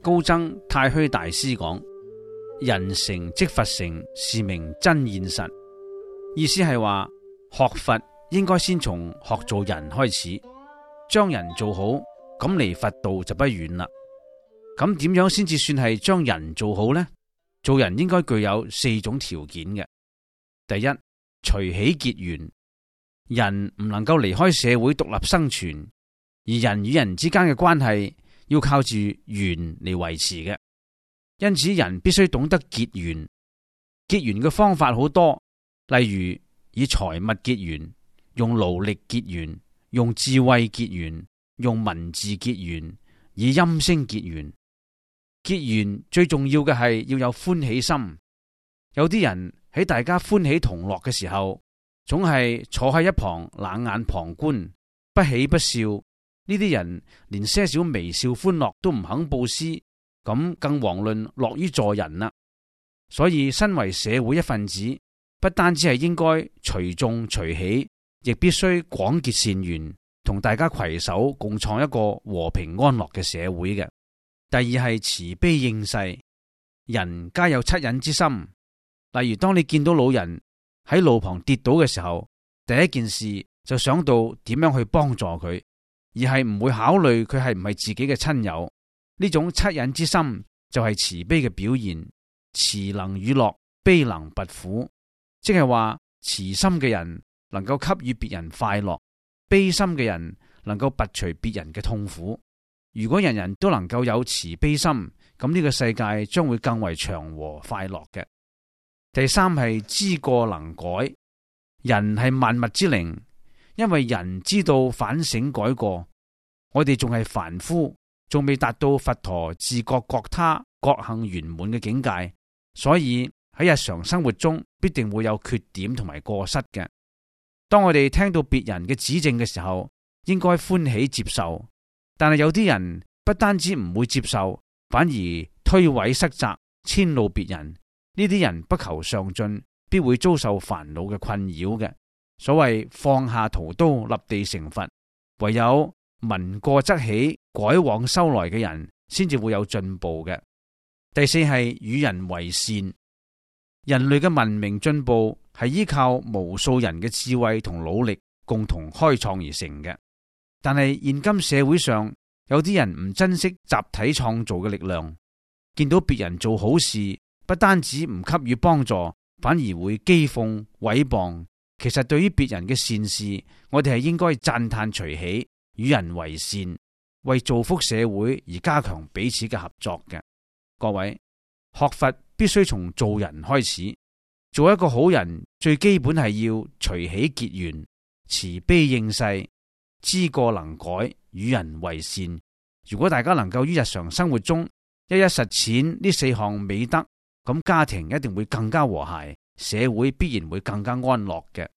高僧太虛大師講：人成即佛成，是名真現實。意思係話，學佛應該先從學做人開始，將人做好，咁離佛道就不遠啦。咁點樣先至算係將人做好呢？做人應該具有4種條件嘅。第一，隨喜結緣。人唔能夠離開社會獨立生存，而人與人之間嘅關係要靠住緣嚟維持嘅。因此人必須懂得結緣。結緣嘅方法好多，例如以財物結緣，用勞力結緣，用智慧結緣，用文字結緣，以音聲結緣。結緣最重要嘅係要有歡喜心。有啲人喺大家歡喜同樂嘅時候，總係坐喺一旁冷眼旁觀，不喜不笑。呢啲人連些少微笑歡樂都唔肯布施，咁更遑論樂於助人啦。所以身為社會一份子，不單止係應該隨眾隨喜，亦必須廣結善緣，同大家攜手共創一個和平安樂嘅社會嘅。第二係慈悲應世。人皆有惻隱之心，例如當你見到老人喺路旁跌倒嘅時候，第一件事就想到點樣去幫助佢，而係唔會考慮佢係唔係自己嘅親友。呢種惻隱之心就係慈悲嘅表現。慈能與樂，悲能拔苦，即係話慈心嘅人能夠給予別人快樂，悲心嘅人能夠拔除別人嘅痛苦。如果人人都能夠有慈悲心，咁呢個世界將會更為祥和快樂嘅。第三係知過能改。人係萬物之靈，因為人知道反省改過。我哋仲係凡夫，仲未達到佛陀自覺覺他覺行圓滿嘅境界，所以喺日常生活中必定會有缺點同埋過失嘅。當我哋聽到別人嘅指正嘅時候，應該歡喜接受。但係有啲人不單止唔會接受，反而推諉塞責，遷怒別人。呢啲人不求上進，必會遭受煩惱嘅困擾嘅。所謂放下屠刀，立地成佛，唯有聞過則起，改往修來嘅人，先至會有進步嘅。第四係與人為善。人類嘅文明進步係依靠無數人嘅智慧同努力共同開創而成嘅。但係現今社會上有啲人唔珍惜集體創造嘅力量，見到別人做好事，不單止唔給予幫助，反而會譏諷毀謗。其實對於別人嘅善事，我哋係應該讚嘆隨喜，與人為善，為造福社會而加強彼此嘅合作嘅。各位，學佛必須從做人開始。做一個好人，最基本係要隨喜結緣，慈悲應世，知過能改，與人為善。如果大家能夠於日常生活中一一實踐呢4項美德，咁家庭一定會更加和諧，社會必然會更加安樂嘅。